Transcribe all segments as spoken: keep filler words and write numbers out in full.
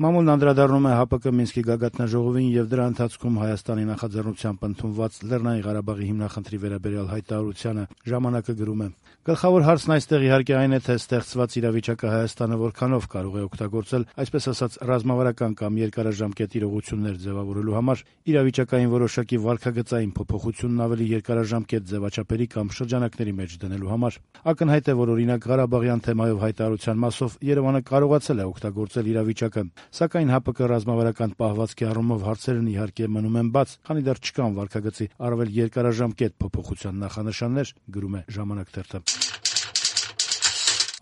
Մամուլն անդրադառնում է ՀԱՊԿ Մինսկի գագաթնաժողովին եւ դրա ընթացքում Հայաստանի նախաձեռնությամբ ընդունված Լեռնային Ղարաբաղի հիմնախնդրի վերաբերյալ հայտարարությանը։ Ժամանակը գրում է. Գլխավոր հարցն այստեղ իհարկե այն է, թե ստեղծված իրավիճակը Հայաստանը որքանով կարող է օգտագործել, այսպես ասած, ռազմավարական կամ երկարաժամկետ իրողություններ ձևավորելու համար, իրավիճակային որոշակի վարքագծային փոփոխությունն ավելի երկարաժամկետ ձևաչափերի կամ շրջանակների մեջ դնելու համար։ Ակնհայտ է, որ օրինակ Ղարաբաղյան թեմայով հայտարարության մասով Երևանը կարողացել է օգտագործել իրավիճակը, սակայն ՀԱՊԿ ռազմավարական պահվածքի առումով հարցերն իհարկե մնում են բաց, քանի դեռ չկան վարքագծի առավել երկարաժամկետ փոփոխության նախանշաններ, գրում է «Ժամանակ» թերթը։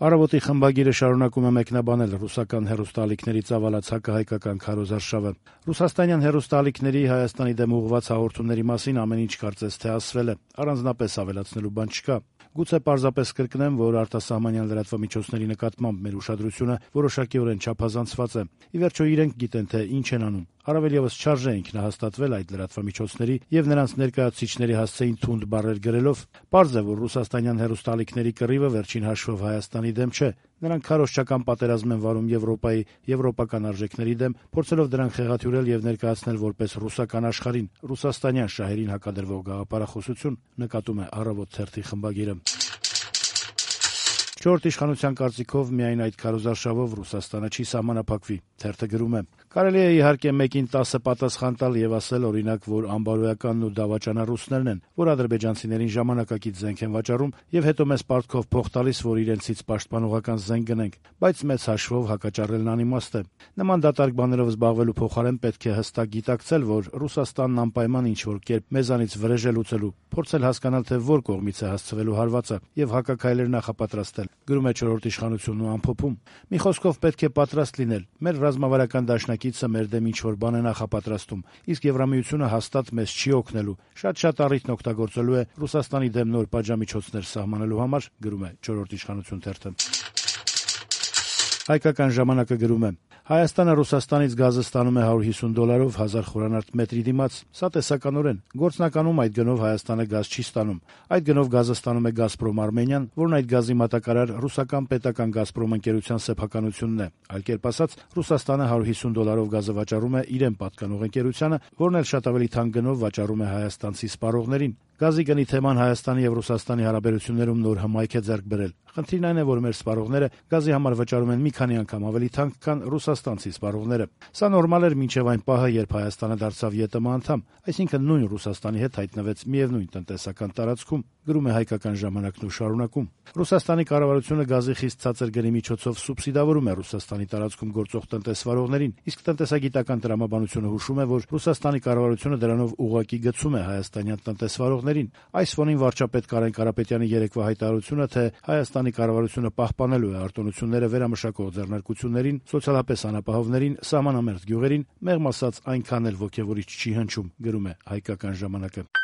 Առավոտի խմբագիրը շարունակում է մեկնաբանել ռուսական հեռուստաալիքների ծավալած հակահայկական քարոզարշավը։ Ռուսաստանյան հեռուստաալիքների Հայաստանի դեմ ուղղված հաղորդումների մասին ամեն ինչ կարծես թե ասվել է, առանձնապես ավելացնելու բան չկա։ Գուցե պարզապես կրկնեմ, որ արտասահմանյան լրատվամիջոցների նկատմամբ մեր ուշադրությունը որոշակիորեն չափազանցված է։ Ի վերջո իրենք գիտեն, թե ինչ են անում։ Առավել ևս չարժե ինքնահաստատվել այդ լրատվամիջոցների եւ նրանց ներկայացուցիչների հասցեին թունդ բառեր գրելով։ Պարզ է, որ ռուսաստանյան հեռուստաալիքների կռիվը վերջին հաշվով Հայաստանի դեմ չէ։ Նրանք քարոզչական պատերազմ են վարում Եվրոպայի եվրոպական արժեքների դեմ, փորձելով դրանք խեղաթյուրել եւ ներկայացնել որպես ռուսական աշխարհին, ռուսաստանյան շահերին հակադրվող գաղափարախոսություն, նկատում է «Առավոտ» թերթի խմբագիրը։ Չորրորդ իշխանության կարծիքով միայն այդ քարոզարշավով Ռուսաստանը չի սահմանափակվի։ Թերթը գրում է. «Կարելի է իհարկե մեկին տասը պատասխան տալ եւ ասել, օրինակ, որ անբարոյականն ու դավաճանա ռուսներն են, որ ադրբեջանցիներին ժամանակակից զենք են վաճառում եւ հետո մեզ պարտքով փող տալիս, որ իրենցից պաշտպանողական զենք գնենք, բայց մեծ հաշվով հակաճառելն անիմաստ է։ Նման դատարկ բաներով զբաղվելու փոխարեն պետք է հստակ գիտակցել, որ Ռուսաստանն անպայման ինչ-որ կերպ մեզանից վրեժ է լուծելու, փորձել հասկանալ, թե որ կողմից է հասցվելու հարվածը եւ հակաքայլեր նախապատրաստել», գրում է «Չորրորդ իշխանությունն» ու ամփոփում։ «Մի խոսքով պետք է պատրաստ լինել։ Մեր ռազմավարական դաշնակիցը մեր դեմ ինչ-որ բան է նախապատրաստում, իսկ Եվրամիությունը հաստատ մեզ չի օգնելու, շատ-շատ առիթն օգտագործելու է Ռուսաստանի դեմ նոր պատժամիջոցներ սահմանելու համար», գրում է «Չորրորդ իշխանություն» թերթը։ Հայկական ժամանակը գրում է. «Հայաստանը Ռուսաստանից գազը ստանում է հարյուր հիսուն դոլարով հազար խորանարդ մետրի դիմաց։ Սա տեսականորեն։ Գործնականում այդ գնով Հայաստանը գազ չի ստանում։ Այդ գնով գազը ստանում է «Գազպրոմ Արմենիան», որն այդ գազի մատակարար ռուսական պետական «Գազպրոմ» ընկերության սեփականությունն է։ Այլ կերպ ասած, Ռուսաստանը հարյուր հիսուն դոլարով գազը վաճառում է իրեն պատկանող ընկերությանը, որն էլ շատ ավելի թանկ գնով վաճառում է հայաստանցի սպառողներին։ Գազի գնի թեման Հայաստանի եւ Ռուսաստանի հարաբերություններում նոր հմայք է ձեռք բերել։ Խնդիրն այն է, որ մեր սպառողները գազի համար վճարում են մի քանի անգամ ավելի թանկ, քան ռուսաստանցի սպառողները։ Սա նորմալ էր մինչև այն պահը, երբ Հայաստանը դարձավ ԵՏՄ անդամ, այսինքն նույն Ռուսաստանի հետ հայտնվեց միևնույն տնտեսական տարածքում», գրում է «Հայկական ժամանակն» ու շարունակում. «Ռուսաստանի կառավարությունը գազի խիստ ցածր գնի միջոցով սուբսիդավորում է Ռուսաստանի տարածքում գործող տնտեսվարողներին, իսկ տնտեսագիտական տրամաբանությունը հուշում է, որ Ռուսաստանի կառավարությունը դրանով ուղղակի գցում է հայաստանյան տնտեսվարողներին։ Այս ֆոնին վարչապետ Կարեն Կարապետյանի երեկվա հայտարարությունը, թե Հայաստանի կառավարությունը պահպանելու է արտոնությունները վերամշակող ձեռնարկություններին, սոցիալապես անապահովներին, սահմանամերձ գյուղերին, մեղմ ասած այնքան էլ ոգևորիչ չի հնչում», գրում է «Հայկական ժամանակը»։